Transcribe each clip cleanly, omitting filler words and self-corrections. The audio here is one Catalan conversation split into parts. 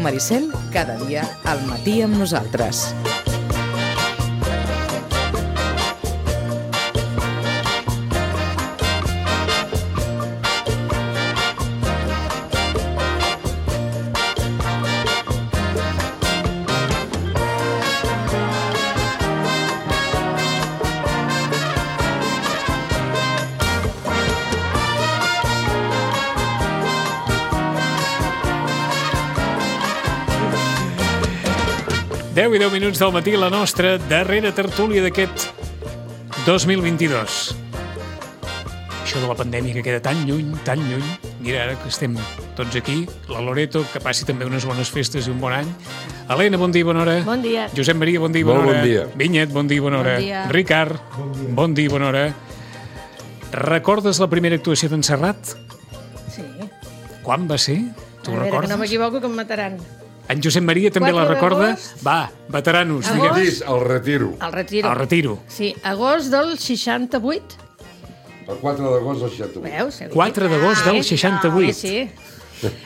Maricel, cada dia al matí amb nosaltres. Deu i 10 minuts del matí, la nostra darrera tertúlia d'aquest 2022. Això de la pandèmia que queda tan lluny, tan lluny. Mira, ara que estem tots aquí, la Loreto, que passi també unes bones festes i un bon any. Helena, bon dia i bona hora. Bon dia. Josep Maria, bon dia i bona hora. Bon dia. Vinyet, bon dia i bona hora. Bon dia. Ricard, bon dia i bona hora. Recordes la primera actuació d'en Serrat? Sí. Quan va ser? Tu A veure, recordes? que no m'equivoco, que em mataran. En Josep Maria també 4 la recorda? d'agost. Va, veteranos, Agost. digue'm. Dis, el retiro. El retiro. El retiro. Sí, agost del 68. El 4 d'agost del 68. Veus? 4 d'agost del 68. Sí.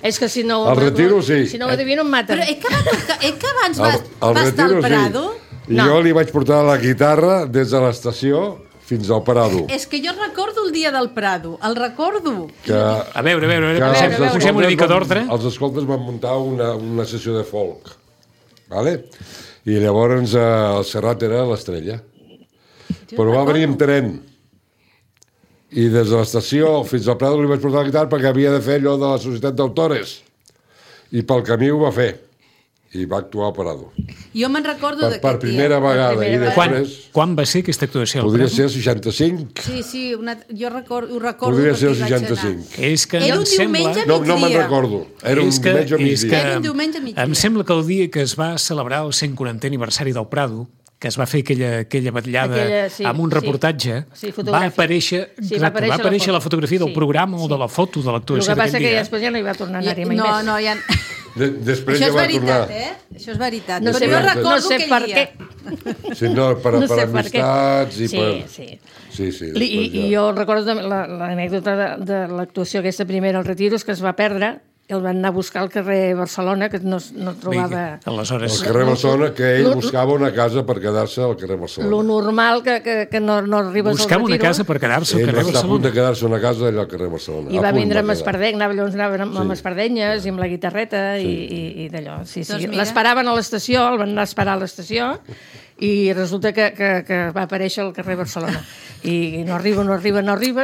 És que si no... El retiro, sí. Si no ho adivino, em maten. Però que abans va estar retiro, al Prado? Sí. I No. jo li vaig portar la guitarra des de l'estació fins al Prado. És que jo recordo el dia del Prado, el recordo. Que, A veure, que posem una mica d'ordre. Els escoltes van muntar una sessió de folk. Vale? I llavors el Serrat era l'estrella. Però va venir amb tren. I des de l'estació fins al Prado li vaig portar la guitarra perquè havia de fer allò de la Societat d'Autores. I pel camí ho va fer. I va actuar al Prado. Jo me'n recordo Per d'aquest primera dia. vegada. I després... Quan va ser aquesta actuació? al Podria Prado? ser el 65. Sí, jo ho recordo. Podria ser el perquè hi vaig 65. És que Era em un sembla... diumenge No me'n migdia. recordo. Era un és que, diumenge a és que migdia. Era un diumenge a migdia. em sembla que el dia que es va celebrar el 140è aniversari del Prado, que es va fer aquella vetllada Sí, amb un reportatge, sí, va fotogràfic. aparèixer, Sí, exacte, va aparèixer la fotografia del sí, programa o sí. de la foto de El l'actuació que passa d'aquell que dia. després ja no hi va tornar a anar-hi mai No, més. no, ja... Després Això ja és va veritat, tornar. Això és veritat. No Però sé, jo no recordo sé aquell per dia. què. Sí, no, per No sé per què. amistats i Sí, per... sí. Sí, sí. I jo recordo l'anècdota de l'actuació aquesta primera al Retiro, és que es va perdre, i el van anar a buscar al carrer Barcelona, que no trobava... Aleshores, El carrer Barcelona, que ell buscava una casa per quedar-se al carrer Lo Barcelona. normal que no arribes buscava al una Retiro. casa per quedar-se al Ell va carrer estar a punt de Barcelona. quedar-se una casa allà al carrer Barcelona. I A va punt vindre amb quedar. espardenya, anaven amb espardenyes i amb la guitarreta i d'allò. Sí, sí. Doncs mira. L'esperaven a l'estació, el van anar a esperar a l'estació i resulta que va aparèixer al carrer Barcelona. I no arriba,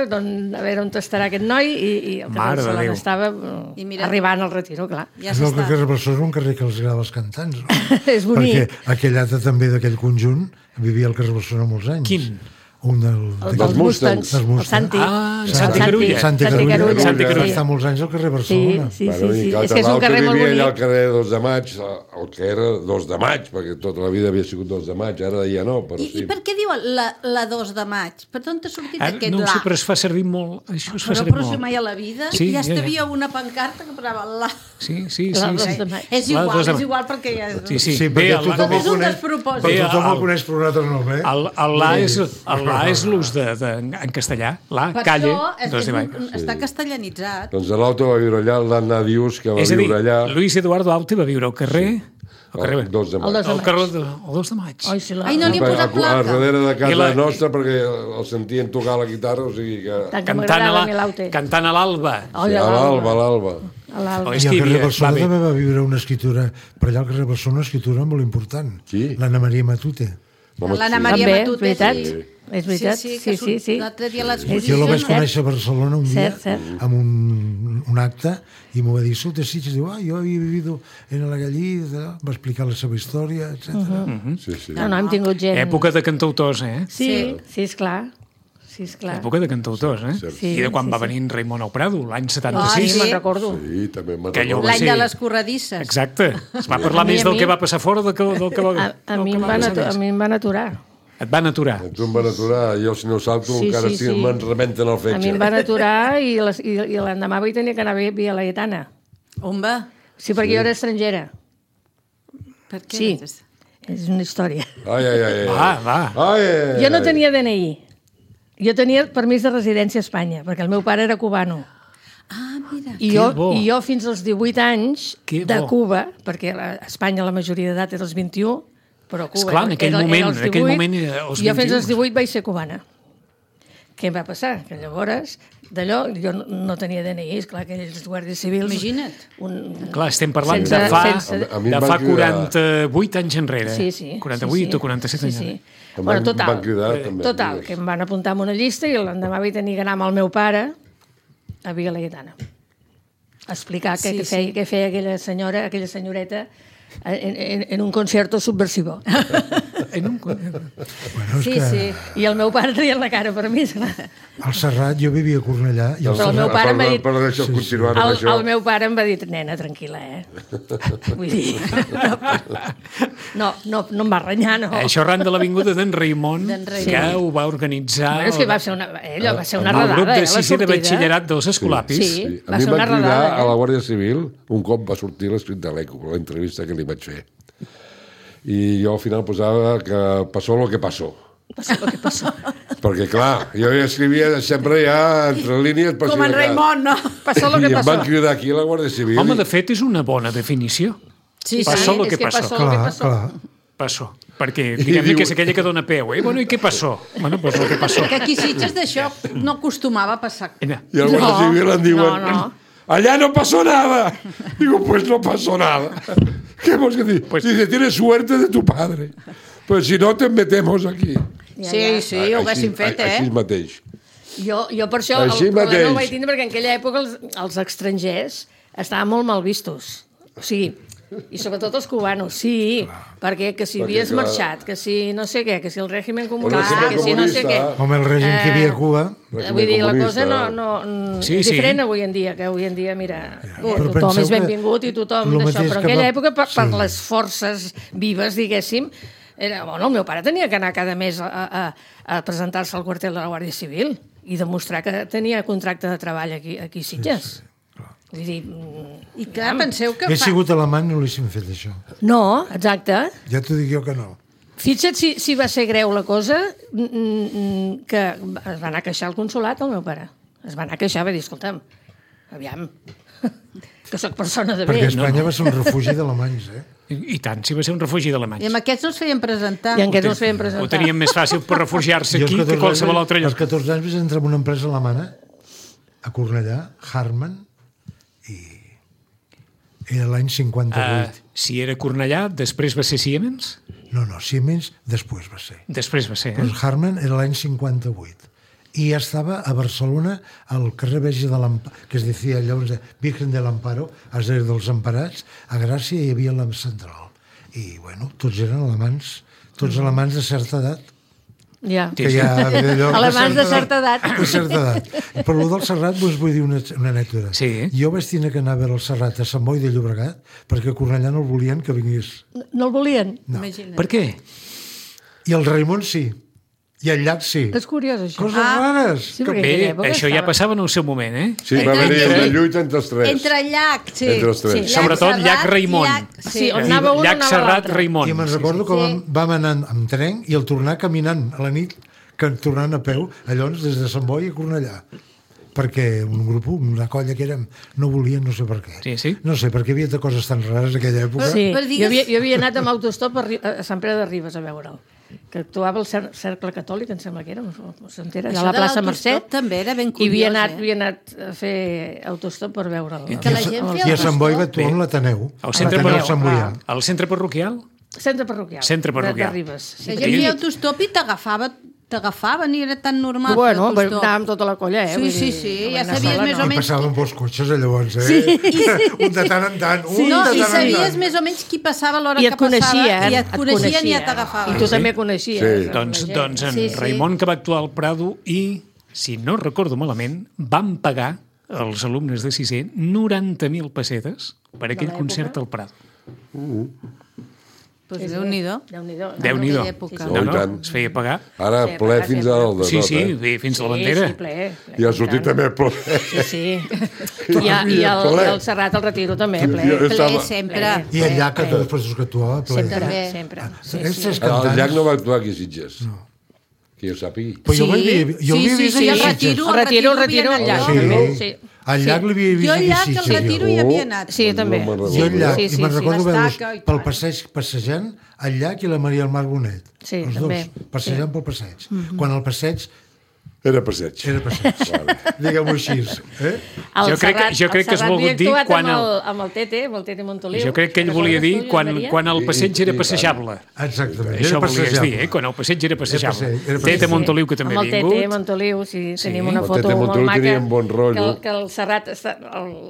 doncs a veure on estarà aquest noi i el Mare de carrer Déu. Barcelona estava I mira. arribant al Retiro, clar. Ja És el s'està. carrer Barcelona és un carrer que els agrada als cantants, no? És bonic. Perquè aquell altre també d'aquell conjunt vivia al carrer Barcelona molts anys. Quin? Un Dels Mustangs, Dels el Mustangs. Santi. Ah, El Santi Carulla. Santi Santi Carulla. Carulla. Santi Carulla. Va estar molts anys al carrer Sí, Barcelona. sí, Bueno, sí. i clar, És que és un l'altre carrer molt vivia allà al bonic. carrer 2 de maig, el que era 2 de maig, perquè tota la vida havia sigut 2 de maig, ara ja no, però I sí. per què diu la 2 de maig? Per on t'ha sortit Ara, aquest no ho sé, la? però es fa servir molt. Això es fa servir Però si molt. mai a la vida Sí, ja ja. havia una pancarta que posava la... Sí, sí, La sí. dos sí. de maig. És La igual, dos de és maig. igual perquè ja... Sí, sí. Sí, Bé, perquè tothom És el un coneix, despropòsit. Bé, tothom el- el coneix per un altre nom, eh? El la és l'ús en castellà. La, Per calle, això dos de maig. està castellanitzat. Doncs l'Auto va viure allà, l'Anna Dius, que va És a dir, viure allà... Luis Eduardo Aute va viure al carrer... Al carrer... el 2 de maig. El 2 de El maig. carrer el 2 de maig. Ai, sí, Ai, no li he posat A placa. darrere de I casa la- nostra, perquè el sentien tocar la guitarra, o sigui que... Tant que Cantant m'agradava a mi l'Aute. cantant a l'alba. Ai, Sí, a a l'alba, a l'alba. A l'Alba. Oh, és I que al hi carrer havia- Barcelona va bé. també va viure una escriptura, per allà al carrer Barcelona, una escriptura molt important. Qui? L'Anna Maria Matute. Home, L'Anna sí. Maria També, és Matute, veritat. sí. És veritat, Sí, sí, que sí. l'altre dia a Jo la l'exposició... vaig conèixer a Barcelona un dia, Cert. amb un acte, i m'ho va dir, escolta, sí, diu, jo havia vivido en la Gallida, va explicar la seva història, etc. Sí, sí. No, hem tingut gent... Època de cantautors, eh? Sí, sí, esclar. Sí, esclar. Època de cantautors, eh? Sí, I de quan sí, va sí. venir en Raimon al Prado, l'any Ah, 76. sí, me'n recordo. Sí, també me'n Que allò recordo. va L'any ser- de les corredisses. Exacte. Es va parlar A mi- més a del mi- que va passar fora del que va A mi em van aturar. Et van aturar. Tu em van aturar, jo si no salto Sí, encara sí, sí, sí. me'n rebenten el A fetge. mi em van aturar i l'endemà vaig tenir que anar a Via Laietana. On va? Sí, perquè jo era estrangera. Per què? Sí. És una història. Ai, ai, ai. Va. Ai, ai, Jo no ai. tenia DNI. Jo tenia permís de residència a Espanya, perquè el meu pare era cubano. Ah, mira. I jo fins als 18 anys Que de bo. Cuba, perquè a Espanya la majoria d'edat era els 21, però a Cuba Esclar, en aquell era moment, als en aquell 18, moment era als jo fins 21. als 18 vaig ser cubana. Què em va passar? Que llavors, d'allò, jo no tenia DNI, esclar, que aquells guàrdies civils... Imagina't. Clar, estem parlant Sense- de fa, sense- A mi de em fa van cridar- 48 anys enrere. Sí. 48 o 47 anys enrere. Em Bueno, van cridar, també, total, digues. que em van apuntar en una llista i l'endemà vaig tenir que anar amb el meu pare a Via Laietana a explicar què feia aquella senyoreta en un concierto subversivo. En un... Bueno, és que I el meu pare traia la cara per mi, esclar. al Serrat jo vivia a Cornellà i al Però el meu Serrat... pare m'ha dit... Però deixa'l continuar amb això. El meu pare em va dir, nena, tranquil·la, Vull dir... No em va renyar, no. Això arran de l'avinguda d'en Raimon, Raimon. que ho va organitzar Bueno, és que va ser una el redada, grup de la sisè de sortida. batxillerat dels Escolapis. Sí. Sí. Va A mi ser em una van cridar redada, a la Guàrdia Civil, un cop va sortir l'escrit de l'ECO, l'entrevista que li vaig fer. I jo al final posava que passó lo que passó. Passó el que passó. Perquè, clar, jo ja escrivia sempre ja entre línies... per Com si en de cas. Raimon, no? Passó el I que em passó. van cridar aquí a la Guàrdia Civil. Home, de fet, és una bona definició. Sí, Passó lo és que que passó. passó lo que Clar, passó. clar. Passó. Perquè diguem que és aquella que dona peu. Bueno, i què passó? Bueno, pues lo que passó. Que aquí Sitges d'això no acostumava a passar. Mira, I al Guàrdia Civil em diuen... no. Allá no pasó nada. Digo, pues no pasó nada. ¿Qué hemos que decir? Pues- Dice, tienes suerte de tu padre. Pues si no, te metemos aquí. Sí, ho haguéssim fet, Així mateix. Jo per això Així el problema mateix. ho vaig tindre perquè en aquella època els estrangers estaven molt mal vistos. O sigui, i sobretot els cubanos, sí, perquè que si havies clar. marxat, que si no sé què, que si el règim El comunista, règim que si no sé què... comunista. Home, el règim que hi havia a Cuba... Vull dir, la cosa Sí, és sí. diferent avui en dia, que avui en dia, mira, Però tothom penseu és benvingut i tothom lo d'això, mateix però en que aquella va- època, per sí. les forces vives, diguéssim, el meu pare tenia que anar cada mes a presentar-se al quartel de la Guàrdia Civil i demostrar que tenia contracte de treball aquí a Sitges. Vull dir, I clar, penseu que He sigut alemany, no l'haguéssim fet, això. no, exacte. Ja t'ho dic jo que no. Fixa't si va ser greu la cosa, que es va anar a queixar al consolat, el meu pare. Es va anar a queixar, va dir, escolta'm, aviam, que sóc persona de bé. Perquè Espanya va ser un refugi d'alemanys, I tant, si va ser un refugi I d'alemanys. amb aquests no es feien presentar. I en què no es feien Ho presentar. teníem més fàcil per refugiar-se Jo als aquí que 14 qualsevol altre Als lloc. 14 anys vaig entrar en una empresa alemana a Cornellà, Harman, i era l'any 58. Si era Cornellà, després va ser Siemens? No, Siemens després va ser. Després va ser, Pues Harman era l'any 58. I estava a Barcelona, al carrer Verge de l'Amparo, que es deia llavors Virgen de l'Amparo, és a dir, dels Emparats, a Gràcia hi havia la central. I, bueno, tots eren alemans, tots alemans de certa edat, Ja. que ja ve d'allò Alemans de certa edat. De certa edat. Per lo del Serrat us vull dir una anècdota. Sí. Jo vaig tenir que anar a veure el Serrat a Sant Boi de Llobregat perquè a Cornellà no el volien que vingués. No el volien? Imagina't. Per què? I el Raimon sí. I el Llac sí. És curiós, això. Coses rares. Sí, perquè en Bé, aquella època això ja estava- passava en el seu moment, eh? Sí, va haver una lluita entre els tres. Entre Llac, sí. Entre els tres. Sí, Sobretot Llac Raimon. Sí, on anava un, Llac anava Serrat, l'altre. Raimon. I me'n recordo que vam anar amb tren i el tornar caminant a la nit, que tornant a peu, llavors des de Sant Boi a Cornellà. Perquè un grup, una colla que érem, no volien, no sé per què. Sí, sí. No sé, perquè hi havia coses tan rares en aquella època. Sí, Però digues- jo havia anat amb autostop a Sant Pere de Ribes a veure'l, que actuava el Cercle Catòlic, em sembla que era, s'entera, allà a la Això de plaça l'autostop Mercè. també era ben I havia curiós, anat a fer autostop per veure'l. Que la gent I feia a Sant Boi va autostop. actuar amb l'Ateneu. Al centre l'Ateneu parroquial. Sant Boià. Al centre parroquial? Centre parroquial. Centre parroquial. De Ribes. Sí, La perquè- gent feia autostop i t'agafaven i era tan normal Bueno, fer autostop. anàvem tota la colla, Sí, vull sí, dir, sí, no ja vam anar sabies sola, més no. o I menys... passaven pels cotxes llavors, un de tant en tant, un No, de i tant en sabies tant. més o menys qui passava a l'hora I que et coneixien, passava i et coneixien i ja I t'agafaven. tu també coneixies. Sí. Doncs en Sí, sí. Raimon, que va actuar al Prado i, si no recordo malament, van pagar els alumnes de sisè 90.000 pessetes per aquell l'època? concert al Prado. Pues Déu-n'hi-do. Déu-n'hi-do. Déu-n'hi-do. aquella època. No, Oh, i no, tant. es feia pagar. Ara Sí, ple pagar fins sempre. al de Sí, tot, sí, eh? bé, fins a la bandera. Sí, ple. I ha sortit també ple. Sí, sí. I el Serrat, el Retiro també, ple. Jo Ple, estava... sempre. I el Llac, que després que actuava, ple. Sempre, També. sempre. Sí, Aquests sí. tres El cantants... Llac no va actuar aquí a Sitges. No. Que jo sàpigui. Però jo l'havia vist sí, a sí, el Sitges. Retiro. El Retiro al Llac, Sí. també, sí. Al llac l'havia vist Jo al aquí llac, al Retiro, hi havia anat. Sí, jo també. No me'n Jo al llac, Sí, i me'n sí, recordo veure l'Estaca i pel tal. passeig passejant al llac i la Maria del Mar Bonet. Sí, els també. dos, passejant pel passeig. Quan el passeig Era passeig. era passeig. Diguem-ho així. Jo crec que has volgut dir quan amb el Tete Montoliu. Jo crec que ell volia dir quan el passeig era passejable. Exactament. Això era volies passejable. dir, quan el passeig era passejable. Era passeig. Tete Montoliu, que també amb ha el Tete vingut. Montoliu, sí, tenim una El foto Tete molt Montoliu maca. tenia un bon rotllo. Que el Serrat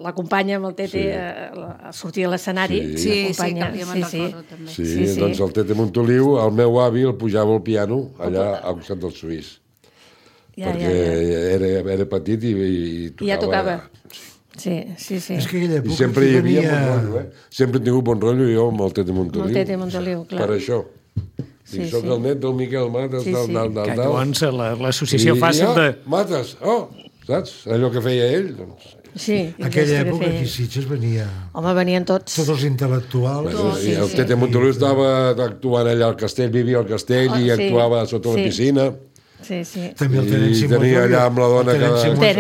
l'acompanya amb el Tete a sortir a l'escenari. Sí, l'acompanya, que jo me'n recordo també. Sí, doncs el Tete Montoliu, el meu avi el pujava al piano allà al costat del Suís. Perquè era petit i tocava. I ja tocava. Sí. És que aquella I època sempre hi havia venia... bon rotllo, Sempre he tingut bon rotllo jo amb el Tete Montoliu. Amb el Tete Montoliu, clar. Per això. Sí, Soc sí. el net del Miquel Mates, Sí, del sí. Que llavors l'associació fàcil de... Mates, saps? Allò que feia ell, doncs... Sí, Aquella que època feia. aquí a Sitges venia Home, venien tots. tots els intel·lectuals. I el Tete Montoliu estava actuant allà al castell, vivia al castell i sí. actuava sota la Sí. piscina. Sí. També el I Tenent Simó. tenia allà amb la dona El Tenent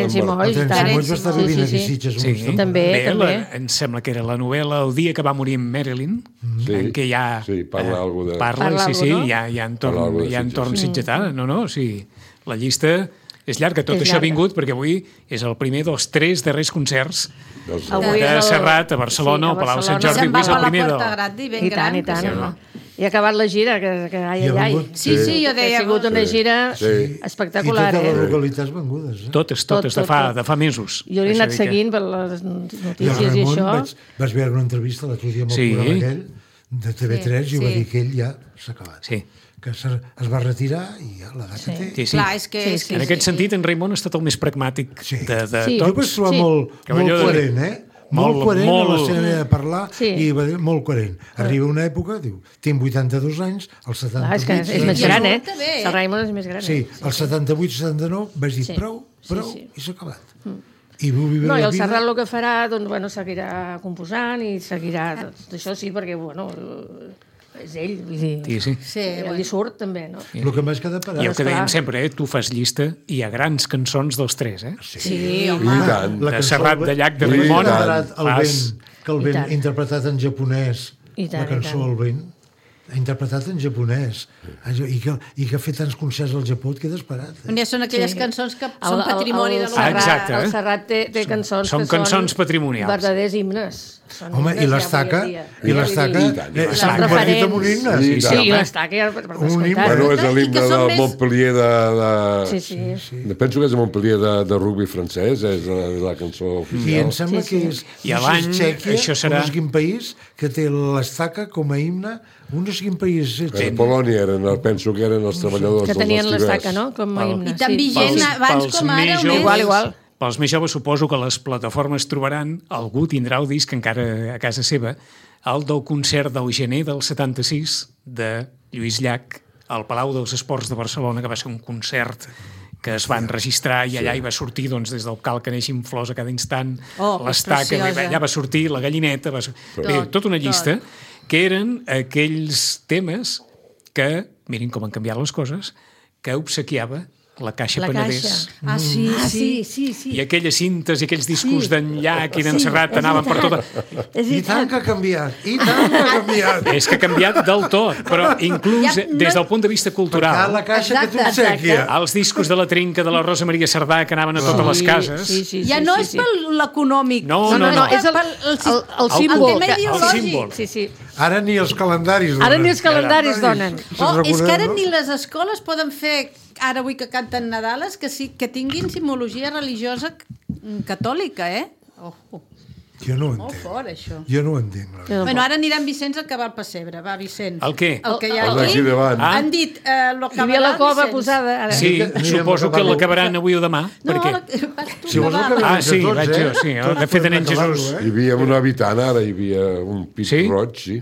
Simó, El i Tenent tant. Simó va estar vivint aquí a Sí. Sitges Sí, una estona. També, bé, també. em sembla que era la novel·la El dia que va morir en Marilyn, Sí. en què ja Sí, parla algo de... parla, Parla sí, algo, no? hi ha Parla entorn, algo de hi ha Sitges. entorn sitgetà. No, sí. La llista és llarga. Tot És això ha llarga. vingut perquè avui és el primer dels 3 darrers concerts Avui de el- Serrat a Barcelona, al Palau Sant Jordi. Se'n Avui va és per el la primer Porta del... Grande i ben I gran. tant, i tant. que sí. No? I ha acabat la gira, que ai, I ha ai. vengut- Sí, jo Ha deia... sigut una gira Sí. espectacular, I totes les eh? localitats vengudes. Totes, Tot, de tot. fa mesos. Jo l'he Això anat dir que- seguint per les I el notícies i Ramon, això. vaig veure una entrevista l'altre dia amb el Sí. programa aquell de TV3 i va sí. dir que ell ja s'ha acabat. Sí. Que es va retirar i ja l'edat que té. Sí, sí. Clar, és que... Sí, En aquest sentit, en Raimon ha estat el més pragmàtic Sí. de Sí. Jo tots. vaig trobar Sí. molt Cavalló de- coherent, molt coherent molt- a la seva manera de parlar Sí. i va dir molt coherent. Arriba una època, diu, tinc 82 anys, als 78... Clar, és que és més I gran, eh? resulta bé, eh? El Raimon és més gran. Sí, als 78-79 vaig dir Sí. prou, Sí, prou, sí. i s'ha acabat. I vull viure No, i la el vida... Serrat el que farà, doncs, bueno, seguirà composant i seguirà... Això sí, perquè, bueno, és ell, vull dir... Sí, sí. Sí, Ell li surt, també, no? El que m'has quedat I parat... el que dèiem clar. sempre, tu fas llista i hi ha grans cançons dels 3, eh? Sí, I home. tant. De Serrat, de Llac, de I Raimon. tant. El vent, que el I vent tant. interpretat en japonès, I tant, la cançó i tant. El vent, interpretat en japonès, i que ha fet tants concerts al Japó, et quedes parat. Ja són aquelles Sí. cançons que són patrimoni de Ah, l'humanità. exacte. El Serrat té cançons són que cançons patrimonials. verdaders himnes. Són Home, himnes i ja l'estaca, avui en dia. i l'estaca I tant, i s'ha convertit en un himne. Sí, Sí, tant. i l'estaca, ja, per Un descomptat. himne. Bueno, és I que l'himne són del més- Montpellier Sí, sí. Penso que és el Montpellier de rugby francès, és la cançó I oficial. em sembla Sí, que sí. és, I a no sé si l'any, és Txèquia, això serà- o no sé quin país, que té l'estaca com a himne, un no sé quin país és. A Polònia penso que eren els treballadors Que dels tenien estivers. l'estaca, no? Com a himne. I tan sí. vigent abans com ara, o més. Igual. Pels més joves suposo que les plataformes trobaran, algú tindrà el disc encara a casa seva, el del concert del gener del 76 de Lluís Llach al Palau dels Esports de Barcelona, que va ser un concert que es va enregistrar i allà hi va sortir doncs, des del cal que neixin flors a cada instant, Oh, l'estaca, preciosa. allà va sortir la gallineta, bé, tota una llista, que eren aquells temes que, mirin com han canviat les coses, que obsequiava la Caixa La Penedès. Caixa. Ah, sí, sí. sí. I aquelles cintes i aquells discos d'en Llach i d'en Serrat anaven per tota... I tant que ha canviat, i tant que ha canviat. És que ha canviat del tot, però inclús Ja no- des del punt de vista Perquè cultural, la caixa que Exacte, t'obsequia. els discos de la Trinca de la Rosa Maria Cerdà que anaven a totes les cases... Sí, Ja no és per l'econòmic. No, és el símbol. tema ideològic. símbol. Sí, sí. Ara ni els calendaris donen. Ara ni els calendaris donen. Oh, és que ara no? ni les escoles poden fer, ara avui que canten Nadales, que tinguin simbologia religiosa catòlica, eh? Jo no ho Molt entenc. fort, això. Jo no ho entenc. la veritat. Bueno, ara aniran Vicenç a acabar el pessebre. Va, Vicenç. El què? El que hi ha El d'aquí davant. Ah. Han dit, lo Hi havia la cova Vicenç. posada. Ara. Sí, Anirem suposo a que acabar-ho. l'acabaran avui o demà. No, Per què? vas tu, Si vols va. acabar Ah, sí, tots, vaig jo, sí. Tots De fet, podem en acabar-lo, Jesús. Hi havia un habitant, ara hi havia un pit Sí? roig, sí.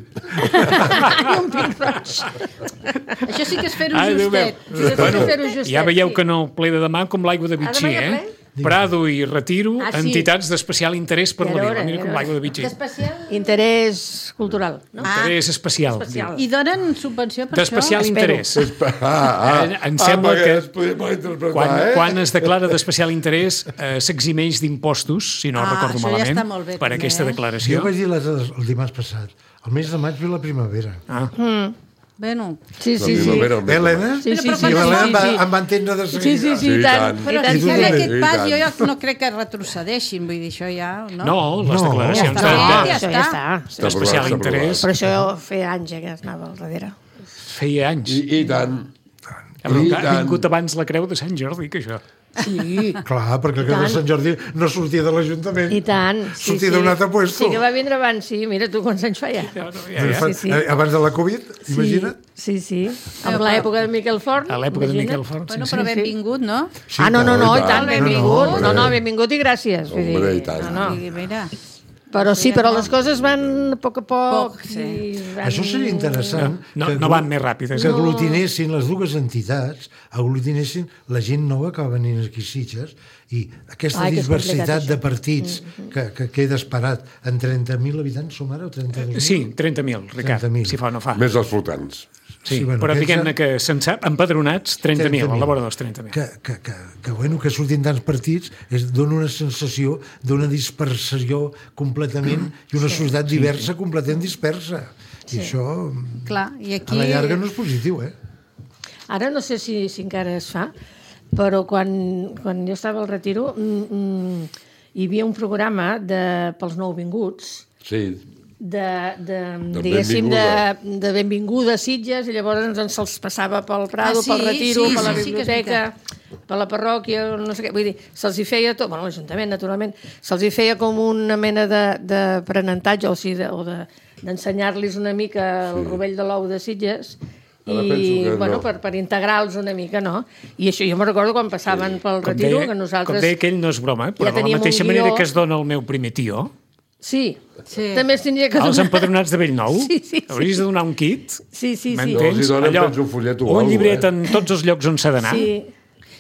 Això sí que és fer-ho Ai, Déu meu. justet. Bueno, fer-ho justet, Ja veieu sí. que no ple de demà com l'aigua de Vichy, demà ja eh? ple? Prado i Retiro, Ah, sí. entitats d'especial interès per I la vila. alhora, Mira com l'aigua de Vitxell. Interès cultural, no? Interès especial. Especial. I donen subvenció per D'especial això? interès. Em Ah, sembla perquè que es podia malinterpretar, quan es declara d'especial interès s'eximeix d'impostos, si no recordo això ja malament, està molt bé, per també, aquesta Jo declaració. vaig dir el dimarts passat. El mes de maig ve la primavera. Bueno, Sí, La sí, sí. primavera, el mes de Helena? maig. Sí, sí, Però sí. I l'Helena Sí, sí. em va entendre de Sí, seguida. sí, sí, i tant. I però I tant, si sí, en sí. aquest I pas tant. jo ja no crec que retrocedeixin, vull dir, això ja... No, les No, declaracions ja està. de- Ja Això ja està. Està d'especial aprovat, està interès Però això feia anys que anava al darrere. feia anys. I tant. Ha tant. vingut abans la creu de Sant Jordi que això. Sí. Clar, perquè el que de tant. Sant Jordi no sortia de l'Ajuntament. I tant. Sí, Sortia d'un altre puesto. Sí, que va vindre abans, sí. Mira tu quants anys feia. Sí, sí. Abans de la Covid, imagina't. Sí, sí. Amb l'època de Miquel Forn. A l'època de imagina't. Miquel Forn. Bueno, Sí, però sí. benvingut, no? Sí, No, clar, i tant, No, benvingut. no, No, benvingut i gràcies. Vull dir, Hombre, i tant. No. I mira, Però sí, però les coses van a poc a poc. Poc, sí. I van... Això seria interessant. No van més ràpides. Que aglutinessin les dues entitats, aglutinessin la gent nova que va venir aquí a Sitges i aquesta Ai, que és diversitat complicat, de partits que queda esperat. En 30.000 habitants som ara o 32.000? Sí, 30.000, Ricard, 30.000. si fa o no fa. Més els flotants. Sí, Sí, bueno, però aquests diguem-ne que empadronats 30.000, a la vora dels 30.000. Que surtin tants partits dona una sensació d'una dispersació completament i una societat diversa completament dispersa. I això, clar, i aquí... a la llarga, no és positiu, eh? Ara no sé si encara es fa, però quan jo estava al Retiro hi havia un programa pels nouvinguts Sí. diguéssim, de benvinguda a Sitges, i llavors se'ls passava pel Prado, pel Retiro, per la sí, que és biblioteca, per la parròquia, no sé què, vull dir, se'ls hi feia tot, bueno, l'Ajuntament, naturalment, se'ls hi feia com una mena d'aprenentatge, o sigui, d'ensenyar-los una mica el rovell de l'ou de Sitges, Ara penso i, que bueno, no. per integrar-los una mica, no? I això jo me'n recordo quan passaven pel Retiro, que nosaltres... Com deia aquell, no és broma, però ja de la teníem un mateixa guió. manera que es dona el meu primer tió, Sí, Sí. també es tindria que als donar. empadronats de Bellnou, Sí. hauries de donar un kit, Sí, sí, sí. No, m'entens? els hi donen, penso, un follet o un alguna llibret cosa, en tots els llocs on s'ha d'anar. Sí.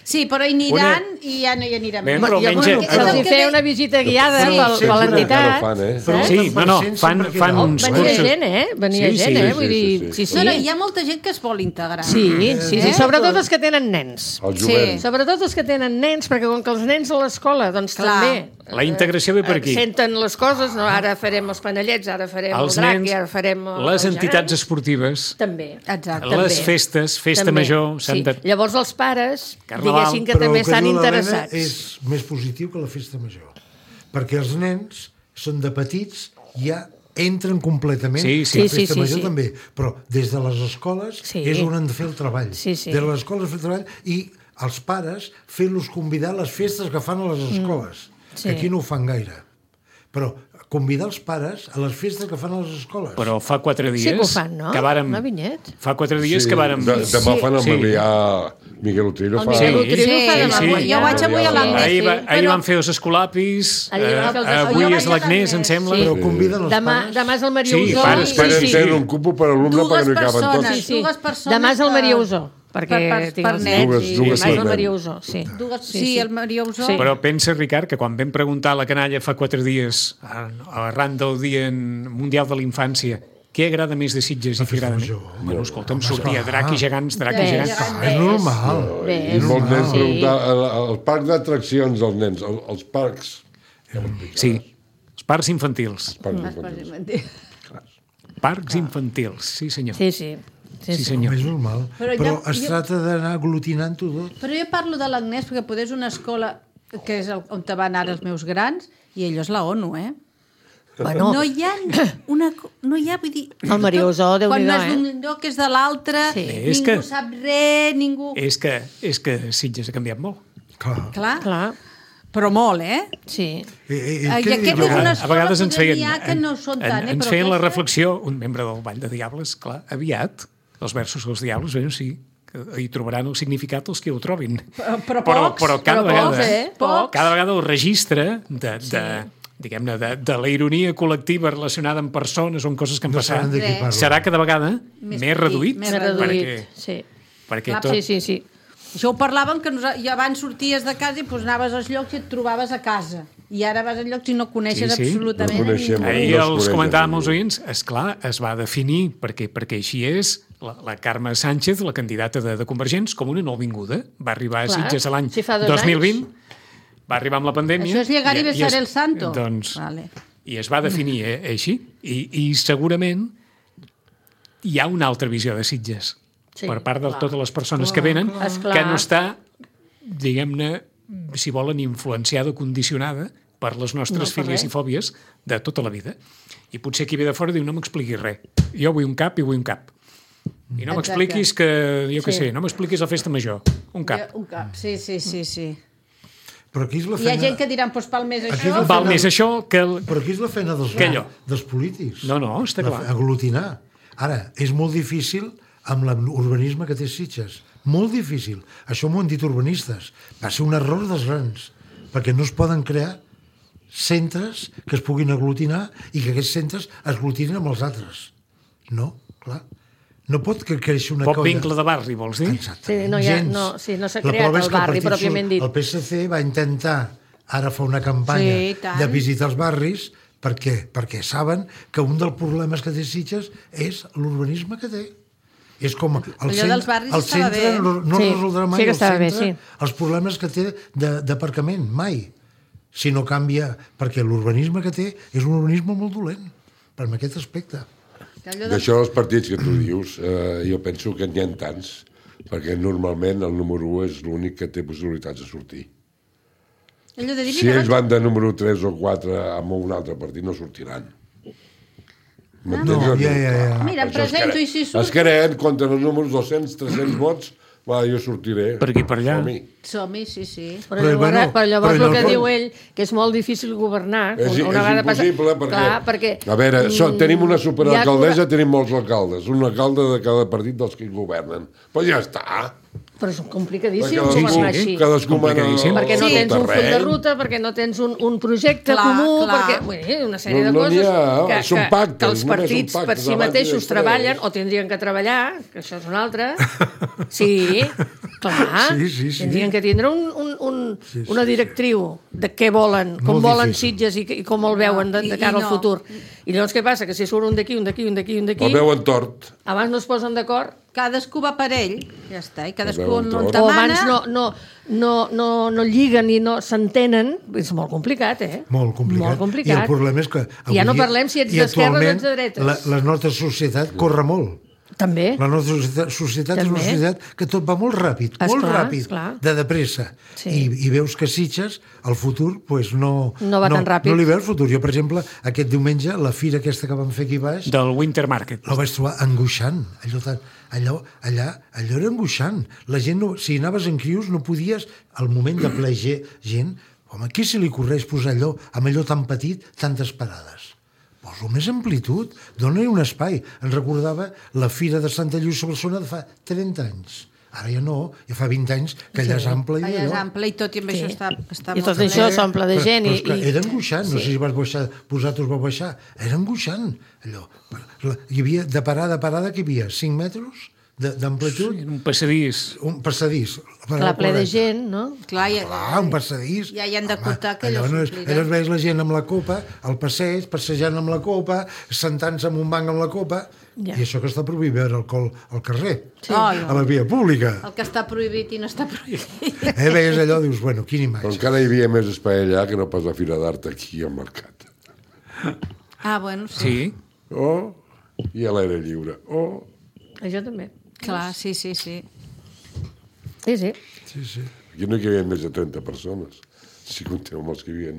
Sí, però hi aniran i ja no hi aniran Bé, més. però I almenys... almenys se'ls hi feia una visita guiada per l'entitat. Però Sí, no, fan Oh, uns venia cursos. gent, venia Sí, gent, sí, vull dir... Sí, sí. No, no, hi ha molta gent que es vol integrar. Sí, sobretot els que tenen nens. El Sí. jovent. Sobretot els que tenen nens, perquè com que els nens a l'escola, doncs Clar. també... La integració ve per aquí. Senten les coses, no? Ara farem els panellets, ara farem Els el drac, nens, i ara farem... les el entitats gegant. esportives, També. Exacte. les També. festes, festa També. major... s'han de... Llavors els pares, Carnaval. diguéssim que també estan interessats. És més positiu que la festa major. Perquè els nens són de petits, ja entren completament. Sí, sí. La festa Sí, major sí. també. Però des de les escoles Sí. és on han de fer el treball. Sí, sí. Des de les escoles fer el treball i els pares fer-los convidar a les festes que fan a les escoles. Sí. Que aquí no ho fan gaire. Però convidar els pares a les festes que fan a les escoles. Però fa 4 dies... Sí que ho fan, no? Que vàrem... No, Vinyet? Fa 4 dies que vàrem... Demà fan el Sí. Melià... Miguel Utrillo El fa... Miguel Sí. Utrillo fa demà. Sí, sí. Jo vaig avui a l'Agnès. Ahir van fer els escolapis, Ahir van fer els escolapis. avui Jo és vaig a l'Agnès, em l'Agnès, sembla. sí. Però conviden els Demà pares... és el Maria Sí, Usó. pares, Esperen sí. tenen un cupo per alumne perquè no hi caben tots. Sí, sí. Dues persones Demà és el que- Maria Usó, perquè per tinc els nens. nens. Dues Demà és el per Maria nen. Usó, sí. Sí, el Maria Usó. Sí. Però pensa, Ricard, que quan vam preguntar a la canalla fa 4 dies, arran del Dia Mundial de la Infància, què agrada més de Sitges i què agrada més? major. Bueno, escolta'm, sortia drac i gegants, drac i Bé, gegants. Ah, és normal. Bé, I molts nens sí. preguntar al parc d'atraccions dels nens, els parcs. Sí, els parcs infantils. Parcs Parcs infantils, sí senyor. Sí, sí. Sí, senyor. És normal. Però Però ja- es tracta d'anar aglutinant-ho tot. Però jo parlo de l'Agnès perquè poder és una escola que és on van ara els meus grans i allò és la ONU, Bueno, No hi ha no hi ha, vull dir... El Maria Usó, Quan Déu-n'hi-do, no és d'un lloc és de l'altre, Sí. És ningú que- sap res, ningú... És que Sitges ha canviat molt. Clar. Clar, clar, però molt, eh? sí. I què aquest diu? és una A escola vegades ens poder feien, n'hi ha que no són tant, ens però feien la aquesta- reflexió, un membre del Ball de Diables, clar, aviat, els versos dels Diables, bueno, sí, que hi trobaran el significat els que ho trobin. Però pocs, però cada però pocs, vegada, pocs. cada vegada el registre diguem-ne, de la ironia col·lectiva relacionada amb persones o amb coses que han No passat, saben de què parlen. serà cada vegada Més més reduït. més Més reduït, Perquè, sí. perquè Clar, tot, Sí, sí, sí. Això ho parlàvem, que i abans sorties de casa i pues, anaves als llocs i et trobaves a casa. I ara vas als llocs i no coneixes absolutament no coneixem. Ahir No es els coneix comentàvem ningú. els oients, esclar, es va definir, perquè així és, la Carme Sánchez, la candidata de Convergents, com una nouvinguda. Va arribar a Clar, Sitges l'any si fa 2 2020, va arribar amb la pandèmia... Això és llegar i besar el santo. Doncs, Vale. I es va definir així. I segurament hi ha una altra visió de Sitges per part de totes les persones que venen, que no està, diguem-ne, si volen, influenciada o condicionada per les nostres fílies i fòbies de tota la vida. I potser qui ve de fora diu, no m'expliquis res. Jo vull un cap i vull un cap. I no m'expliquis que, jo què sé, no m'expliquis la festa major. Un cap. Un cap, sí. Però aquí és la Hi ha feina... gent que diran, doncs val més Aquí és això. la Val feina- més això que... Però aquí és la feina dels polítics. No, està clar. Aglutinar. Ara, és molt difícil amb l'urbanisme que té Sitges. Molt difícil. Això m'ho han dit urbanistes. Va ser un error dels grans, perquè no es poden crear centres que es puguin aglutinar i que aquests centres es aglutinin amb els altres. No, clar. No pot créixer una Poc colla... vincle de barri, vols dir? Exacte. Sí, no s'ha creat el barri, pròpiament dit. El PSC va intentar ara fa una campanya de visitar els barris. Per què? Perquè saben que un dels problemes que té Sitges és l'urbanisme que té. És com el centre no resoldrà mai el centre els problemes que té d'aparcament, mai. Si no canvia, perquè l'urbanisme que té és un urbanisme molt dolent, per aquest aspecte. D'això dels partits que tu dius, jo penso que n'hi ha tants, perquè normalment el número 1 és l'únic que té possibilitats de sortir. Si ells van de número 3 o 4 amb un altre partit, no sortiran. No, ja. Mira, em presento i si surt... Es creen contra els números 200, 300 vots, va, jo sortiré. Per aquí, per allà. Som-hi, sí. Però llavors el que diu ell, que és molt difícil governar... És impossible, perquè... A veure, tenim una superalcaldessa, tenim molts alcaldes. Un alcalde de cada partit dels que hi governen. Però ja està. Però és complicadíssim governar així. Cadascú mana perquè no tens un full de ruta, perquè no tens un projecte comú, perquè una sèrie de coses que els partits per si mateixos treballen, o tindrien que treballar, que això és una altra. Sí, clar. Tindrien que tindre una directriu de què volen, com volen Sitges i com el veuen de cara al futur. I llavors què passa? Que si surt un d'aquí, un d'aquí, un d'aquí, un d'aquí... El veuen tort. Abans no es posen d'acord. Cadascú va per ell, ja està, i cadascú on demana... O abans no lliguen i no s'entenen, és molt complicat, Molt complicat. I el problema és que... Ja no parlem si ets d'esquerres o ets de dretes. La nostra societat corre molt. També. La nostra societat és una societat que tot va molt ràpid, de pressa. I veus que Sitges, el futur, no va tan ràpid. No li veu el futur. Jo, per exemple, aquest diumenge, la fira aquesta que vam fer aquí baix... Del Winter Market. La vaig trobar angoixant. Allò era angoixant. La gent, si anaves en crios, no podies, al moment de ple gent, home, qui se li correix posar allò, amb allò tan petit, tantes parades? Poso més amplitud, dona-hi un espai. Ens recordava la Fira de Santa Lluïssa Barcelona de fa 30 anys. Ara ja no, ja fa 20 anys que allà és ample. Allà és ample i tot i amb això està i tot això s'omple de gent. Però era angoixant, no sé si vosaltres vau baixar, era angoixant allò. Hi havia, de parada a parada, que hi havia 5 metres d'amplitud. Un passadís. Un passadís. Clar, ple de gent, no? Clar, un passadís. Ja hi han d'acotar que allò s'omplirà. Allò veus la gent amb la copa, al passeig, passejant amb la copa, sentant-se en un banc amb la copa, i això que està prohibit veure alcohol al carrer, a la via pública. El que està prohibit i no està prohibit. Veies allò, dius, bueno, quina imatge. Però encara hi havia més espai allà que no pas la Fira d'Art aquí al mercat. Bueno, sí. I a l'aire lliure. Això també. Clar, sí. Sí. Aquí no hi havia més de 30 persones, si compteu amb els que hi havia...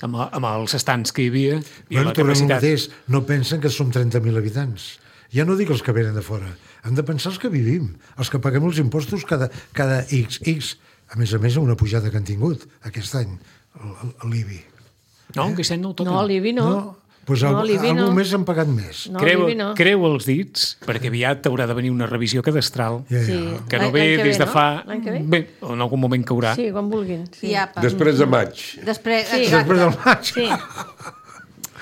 Amb els estants que hi havia i la capacitat. capacitat. No pensen que som 30.000 habitants. Ja no dic els que venen de fora. Hem de pensar els que vivim, els que paguem els impostos cada X. A més, una pujada que han tingut aquest any, l'IBI. No, aquest any no el toquen. No, l'IBI no. Doncs algun mes han pagat més. Creu els dits, perquè aviat haurà de venir una revisió cadastral, que no ve des de fa... Bé, en algun moment caurà. Sí, quan vulguin. Després de maig. Després del maig. Sí.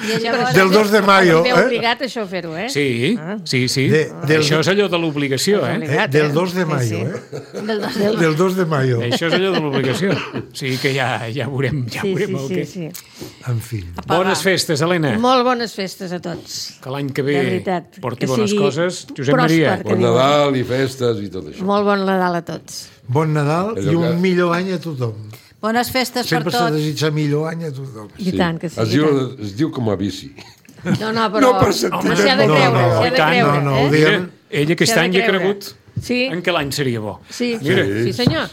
I llavors... Del 2 de mayo. M'he obligat això a fer-ho, eh? Sí, sí. Això és allò de l'obligació, eh? Del 2 de mayo, Del 2 de mayo. Això és allò de l'obligació. O sigui que ja veurem el que... Sí. En fi. Bones festes, Helena. Molt bones festes a tots. Que l'any que ve De veritat, porti que bones sigui coses. Josep pròsper, Maria. que Bon diuen. Nadal i festes i tot això. Molt bon Nadal a tots. Bon Nadal i Allò que- un millor any a tothom. Bones festes per Sempre s'ha de tots. desitjar millor any a tothom. I tant que sí. Es diu com a bici. No, però... No per sentiment. Home, s'hi ha de No, creure, no, s'hi ha i de tant. creure. No, ho eh? diem. Ell aquest S'hi ha de any hi ha creure. cregut Sí. en què l'any seria bo. Sí, Mira. sí senyor.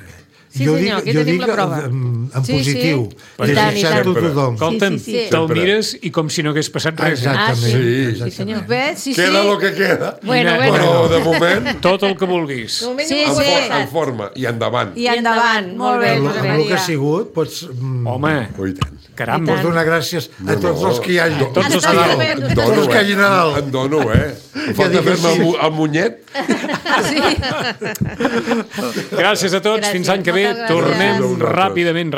Sí, jo senyor, aquí tenim la prova. en Sí, positiu, I tant, i desitjant-ho tant. a tothom. Escolta'm, Sí, sí. te'l mires i com si no hagués passat res. Exactament. Sí, senyor. Bé, sí. Queda lo que queda. Bueno, Però de moment, Tot el que vulguis. Sí, en forma i endavant. I endavant. Molt bé, Amb Josep el que ha Maria. sigut, pots, Home, Oh, i tant. caramba. pots donar gràcies a tots els que hi hagi. Tots els que hi hagi. En Tots els que hi hagi Nadal. En dono, Em falta dic que fer-me sí. el munyet. Gràcies a tots. Gràcies, Fins l'any que ve. moltes gràcies. Tornem Gràcies a vosaltres. ràpidament.